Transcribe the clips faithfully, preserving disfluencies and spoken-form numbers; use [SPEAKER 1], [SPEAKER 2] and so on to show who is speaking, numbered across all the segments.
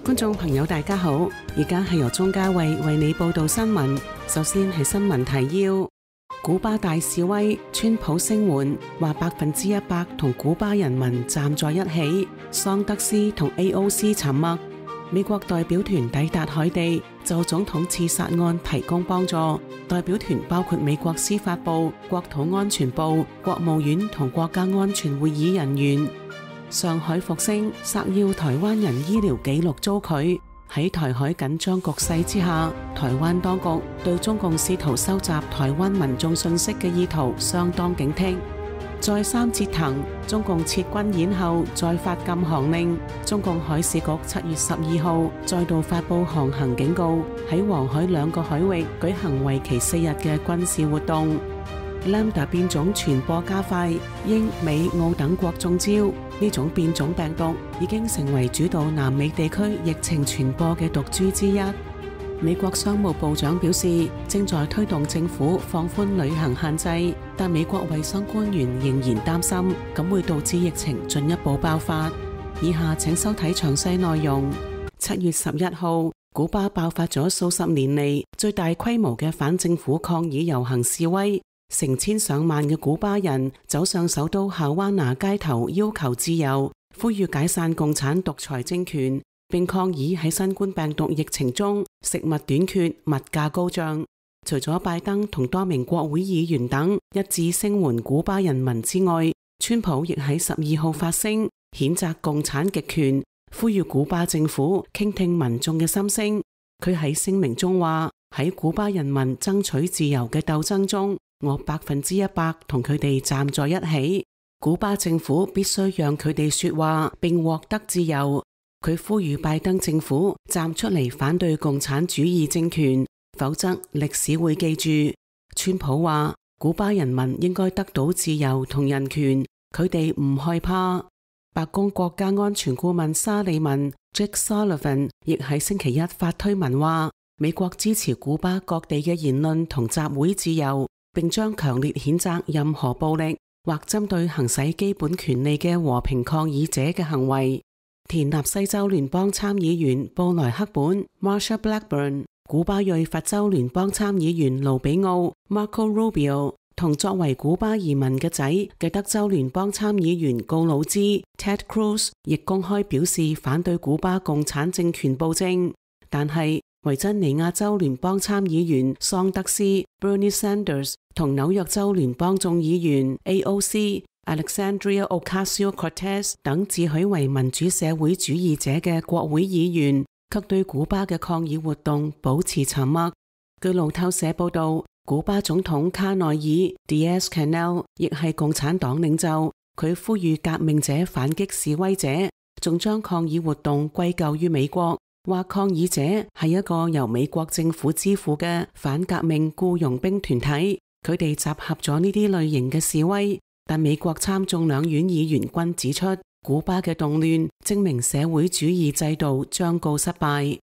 [SPEAKER 1] 觀眾朋友大家好，而家係由鍾嘉慧為你報道新聞。首先係新聞提要：古巴大示威，川普聲援，話百分之一百同古巴人民站在一起。桑德斯同 A O C 沉默。美國代表團抵達海地，就總統刺殺案提供幫助。代表團包括美國司法部、國土安全部、國務院同國家安全會議人員。上海復星索要台灣人醫療記錄遭拒。喺台海緊張局勢之下，台灣當局對中共試圖收集台灣民眾信息嘅意圖相當警惕。再三折騰，中共撤軍演後再發禁航令。中共海事局七月十二號再度發布航行警告，喺黃海兩個海域舉行為期四日嘅軍事活動。Lambda 變種傳播加快，英美澳等國中招。呢種變種病毒已經成為主導南美地區疫情傳播嘅毒株之一。美國商務部長表示，正在推動政府放寬旅行限制，但美國衛生官員仍然擔心，咁會導致疫情進一步爆發。以下請收睇詳細內容。七月十一號，古巴爆發咗數十年嚟最大規模嘅反政府抗議遊行示威。成千上萬嘅古巴人走上首都夏灣拿街頭，要求自由，呼籲解散共產獨裁政權，並抗議喺新冠病毒疫情中食物短缺、物價高漲。除咗拜登同多名國會議員等一致聲援古巴人民之外，川普亦喺十二號發聲，譴責共產極權，呼籲古巴政府傾聽民眾嘅心聲。佢喺聲明中話：喺古巴人民爭取自由嘅鬥爭中，我百分之一百同佢哋站在一起。古巴政府必須讓佢哋說話並獲得自由。佢呼籲拜登政府站出嚟反對共產主義政權，否則歷史會記住。川普話古巴人民應該得到自由同人權，佢哋唔害怕。白宮國家安全顧問沙利文 Jake Sullivan 亦喺星期一發推文話，美國支持古巴各地嘅言論同集會自由，並將強烈譴責任何暴力或針對行使基本權利嘅和平抗議者嘅行為。田納西州聯邦參議員布萊克本 Marsha Blackburn、古巴裔佛州聯邦參議員盧比奧 Marco Rubio 同作為古巴移民嘅仔嘅德州聯邦參議員告魯茲 Ted Cruz 亦公開表示反對古巴共產政權暴政，但係維珍尼亞州聯邦參議員桑德斯 Bernie Sanders 同紐約州聯邦眾議員 A O C Alexandria Ocasio-Cortez 等自詡為民主社會主義者嘅國會議員，卻對古巴嘅抗議活動保持沉默。據路透社報道，古巴總統卡內爾 Diaz-Canel 亦係共產黨領袖，佢呼籲革命者反擊示威者，仲將抗議活動歸咎於美國，話抗議者係一個由美國政府支付嘅反革命僱傭兵團體，佢哋集合咗呢啲類型嘅示威。但美國參眾兩院議員均指出，古巴嘅動亂證明社會主義制度將告失敗。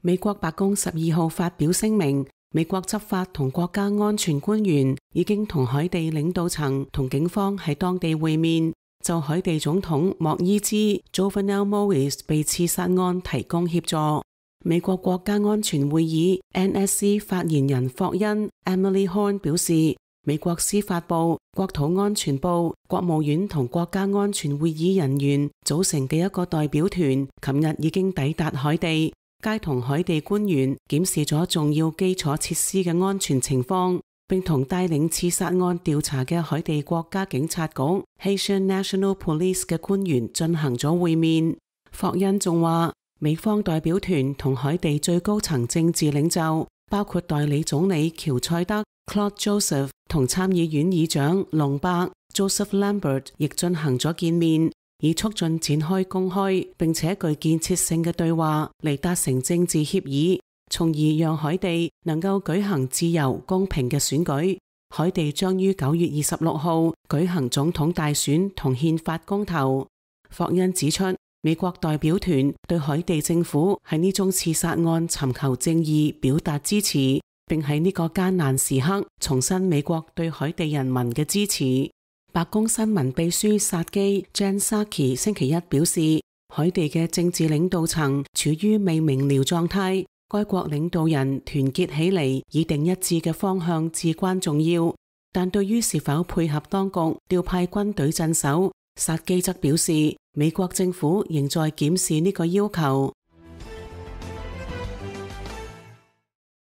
[SPEAKER 1] 美國白宮十二號發表聲明，美國執法同國家安全官員已經同海地領導層同警方喺當地會面，就海地總統莫伊茲 Jovenel Moise 被刺殺案提供協助。美國國家安全會議 N S C 發言人霍恩 Emily Horn 表示，美國司法部、國土安全部、國務院同國家安全會議人員組成嘅一個代表團，琴日已經抵達海地，皆同海地官員檢視咗重要基礎設施嘅安全情況，並同帶領刺殺案調查嘅海地國家警察局 Haitian National Police 嘅官員進行咗會面。霍恩仲話，美方代表團同海地最高層政治領袖，包括代理總理喬塞德 Claude Joseph 同參議院議長龍伯 Joseph Lambert 亦進行咗見面，以促進展開公開並且具建設性嘅對話嚟達成政治協議，從而讓海地能夠舉行自由公平嘅選舉。海地將於九月二十六號舉行總統大選同憲法公投。霍恩指出，美國代表團對海地政府喺呢宗刺殺案尋求正義表達支持，並喺呢個艱難時刻重申美國對海地人民嘅支持。白宮新聞秘書薩基 Jen Psaki 星期一表示，海地嘅政治領導層處於未明瞭狀態，該國領導人團結起嚟以定一致嘅方向至關重要。但對於是否配合當局調派軍隊鎮守，薩基則表示，美國政府仍在檢視呢個要求。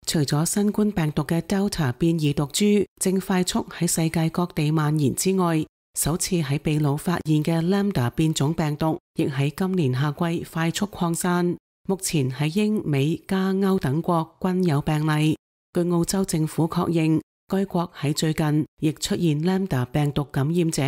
[SPEAKER 1] 除咗新冠病毒嘅 Delta 變異毒株正快速喺世界各地蔓延之外，首次喺秘魯發現嘅 Lambda 變種病毒亦喺今年夏季快速擴散。目前喺英美加歐等國均有病例。據澳洲政府確認，該國喺最近亦出現 Lambda 病毒感染者，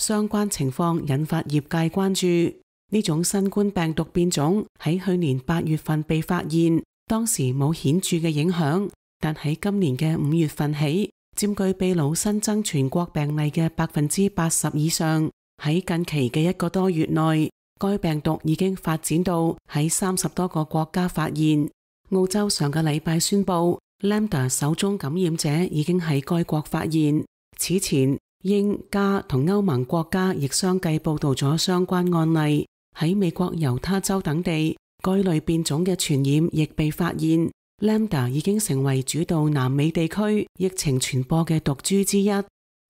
[SPEAKER 1] 相關情況引發業界關注。呢種新冠病毒變種喺去年八月份被發現，當時冇顯著嘅影響，但喺今年嘅五月份起，佔據秘魯新增全國病例嘅百分之八十以上。喺近期嘅一個多月內，該病毒已經發展到喺三十多個國家發現。澳洲上個禮拜宣布 Lambda 首宗感染者已經喺該國發現。此前，英加同歐盟國家亦相繼報道咗相關案例。喺美國猶他州等地，該類變種嘅傳染亦被發現。Lambda 已經成為主導南美地區疫情傳播嘅毒株之一。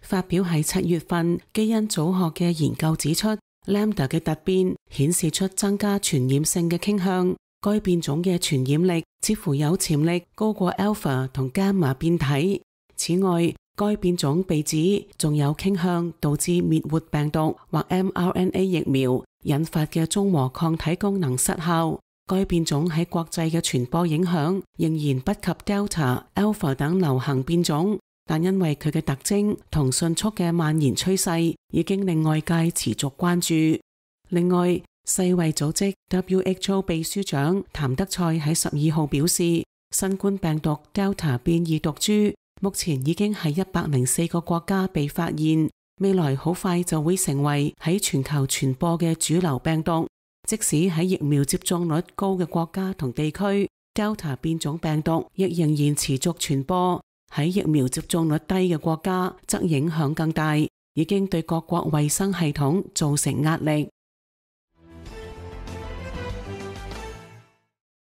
[SPEAKER 1] 發表喺七月份基因組學嘅研究指出， Lambda 嘅突變顯示出增加傳染性嘅傾向。該變種嘅傳染力似乎有潛力高過 Alpha 同 Gamma 變體。此外，該變種被指仲有傾向導致滅活病毒或 mRNA 疫苗引發嘅中和抗體功能失效。該變種喺國際嘅傳播影響仍然不及 Delta、Alpha 等流行變種，但因為佢嘅特徵同迅速嘅蔓延趨勢，已經令外界持續關注。另外，世衛組織 W H O 秘書長譚德塞喺十二號表示，新冠病毒 Delta 變異毒株目前已經喺一百零四個國家被發現，未來好快就會成為喺全球傳播嘅主流病毒。即使喺疫苗接種率高嘅國家同地區， Delta 變種病毒亦仍然持續傳播。喺疫苗接種率低嘅國家則影響更大，已經對各國衛生系統造成壓力。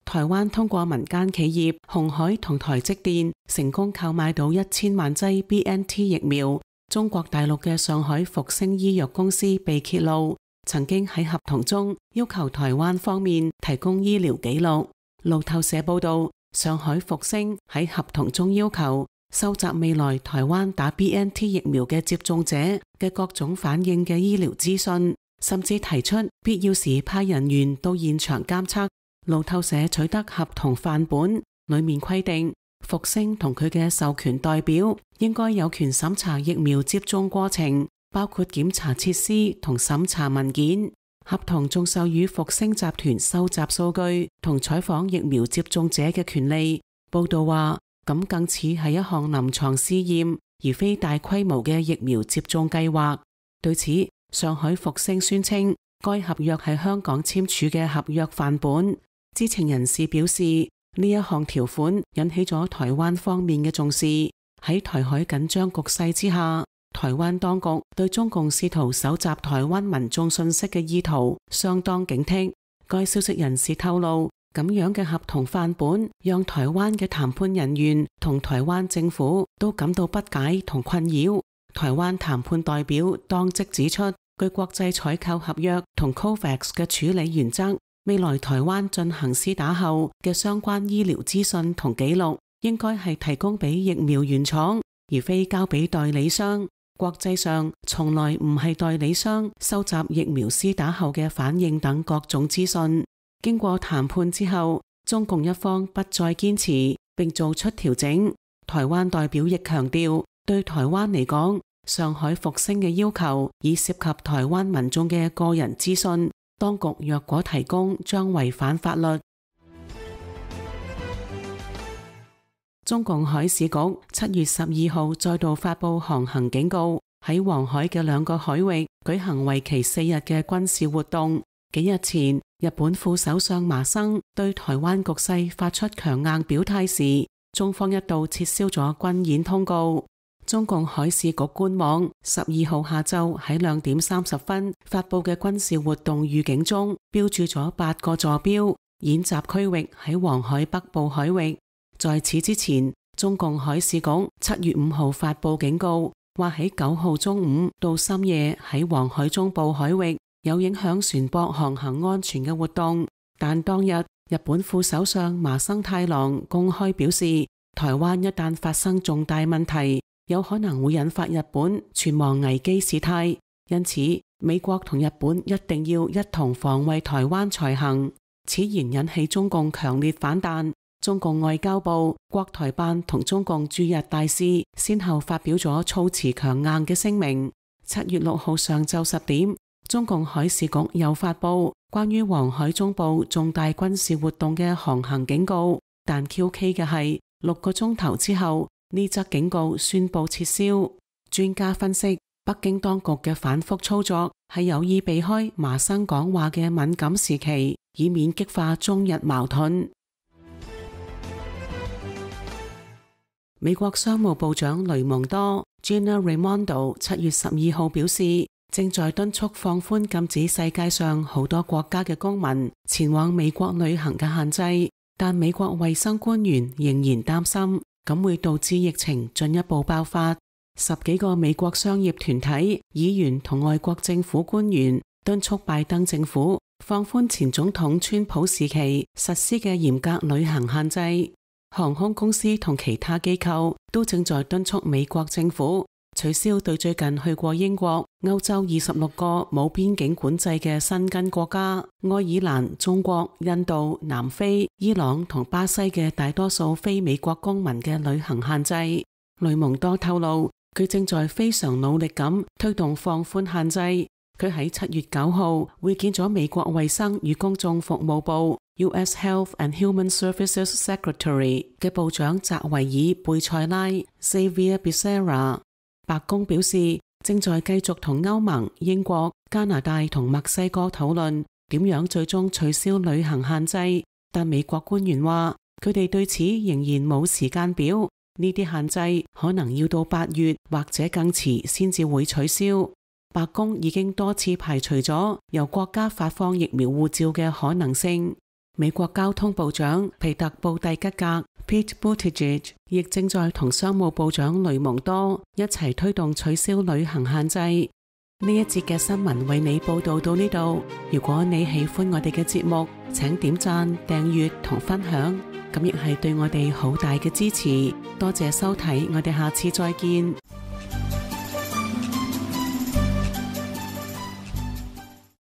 [SPEAKER 1] 台灣通過民間企業鴻海同台積電成功購買到一千萬劑 B N T 疫苗。中國大陸嘅上海復星醫藥公司被揭露，曾經喺合同中要求台灣方面提供醫療記錄。路透社報道，上海復星喺合同中要求收集未來台灣打 B N T 疫苗嘅接種者嘅各種反應嘅醫療資訊，甚至提出必要時派人員到現場監測。路透社取得合同範本，裡面規定復星同佢嘅授權代表應該有權審查疫苗接種過程，包括檢查設施同審查文件。合同仲授予復星集團收集數據同採訪疫苗接種者嘅權利。報道話，咁更似係一項臨床試驗，而非大規模嘅疫苗接種計劃。對此，上海復星宣稱該合約係香港簽署嘅合約範本。知情人士表示，呢一項條款引起咗台灣方面嘅重視。喺台海緊張局勢之下，台灣當局對中共試圖搜集台灣民眾信息嘅意圖相當警惕。該消息人士透露，咁樣嘅合同範本讓台灣嘅談判人員同台灣政府都感到不解同困擾。台灣談判代表當即指出，據國際採購合約同 COVAX 嘅處理原則，未來台灣進行施打後嘅相關醫療資訊同記錄，應該係提供俾疫苗原廠，而非交俾代理商。國際上從來唔係代理商收集疫苗施打後嘅反應等各種資訊。經過談判之後，中共一方不再堅持，並做出調整。台灣代表亦強調，對台灣嚟講，上海復星嘅要求已涉及台灣民眾嘅個人資訊。當局若果提供，將違反法律。中共海事局七月十二號再度發布航行警告，喺黃海嘅兩個海域舉行為期四日嘅軍事活動。幾日前，日本副首相麻生對台灣局勢發出強硬表態時，中方一度撤銷咗軍演通告。中共海事局官網十二號下晝喺兩點三十分發佈嘅軍事活動預警中，標註咗八個坐標，演習區域喺黃海北部海域。在此之前，中共海事局七月五號發佈警告，話喺九號中午到深夜喺黃海中部海域有影響船舶航行安全嘅活動。但當日日本副首相麻生太郎公開表示，台灣一旦發生重大問題，有可能會引發日本存亡危機事態，因此美國同日本一定要一同防衛台灣才行。此言引起中共強烈反彈，中共外交部、國台辦同中共駐日大使先後發表咗措辭強硬嘅聲明。七月六號上晝十點，中共海事局又發布關於黃海中部重大軍事活動嘅航行警告，但蹊蹺嘅係六個鐘頭之後，呢則警告宣布撤銷。專家分析，北京當局嘅反覆操作係有意避開麻生講話嘅敏感時期，以免激化中日矛盾。美國商務部長雷蒙多 Gina Raimondo 七月十二號表示，正在敦促放寬禁止世界上好多國家嘅公民前往美國旅行嘅限制，但美國衛生官員仍然擔心咁會導致疫情進一步爆發。十幾個美國商業團體、議員同外國政府官員敦促拜登政府放寬前總統川普時期實施嘅嚴格旅行限制。航空公司同其他機構都正在敦促美國政府取消對最近去過英國、歐洲二十六個冇邊境管制嘅申根國家愛爾蘭、中國、印度、南非、伊朗同巴西嘅大多數非美國公民嘅旅行限制。雷蒙多透露，佢正在非常努力咁推動放寬限制。佢喺七月九號會見咗美國衛生與公眾服務部 U S Health and Human Services Secretary 嘅部長澤維爾貝塞拉 Xavier Becerra。白宮表示正在繼續同歐盟、英國、加拿大同墨西哥討論點樣最終取消旅行限制，但美國官員話佢哋對此仍然冇時間表，呢啲限制可能要到八月或者更遲先至會取消。白宮已經多次排除咗由國家發放疫苗護照嘅可能性。美國交通部長皮特布蒂吉格 Pete Buttigieg 亦正在同商務部長雷蒙多一齊推動取消旅行限制。呢一節嘅新聞為你報道到呢度。如果你喜歡我哋嘅節目，請點讚、訂閱同分享，咁亦係對我哋好大嘅支持。多謝收睇，我哋下次再見。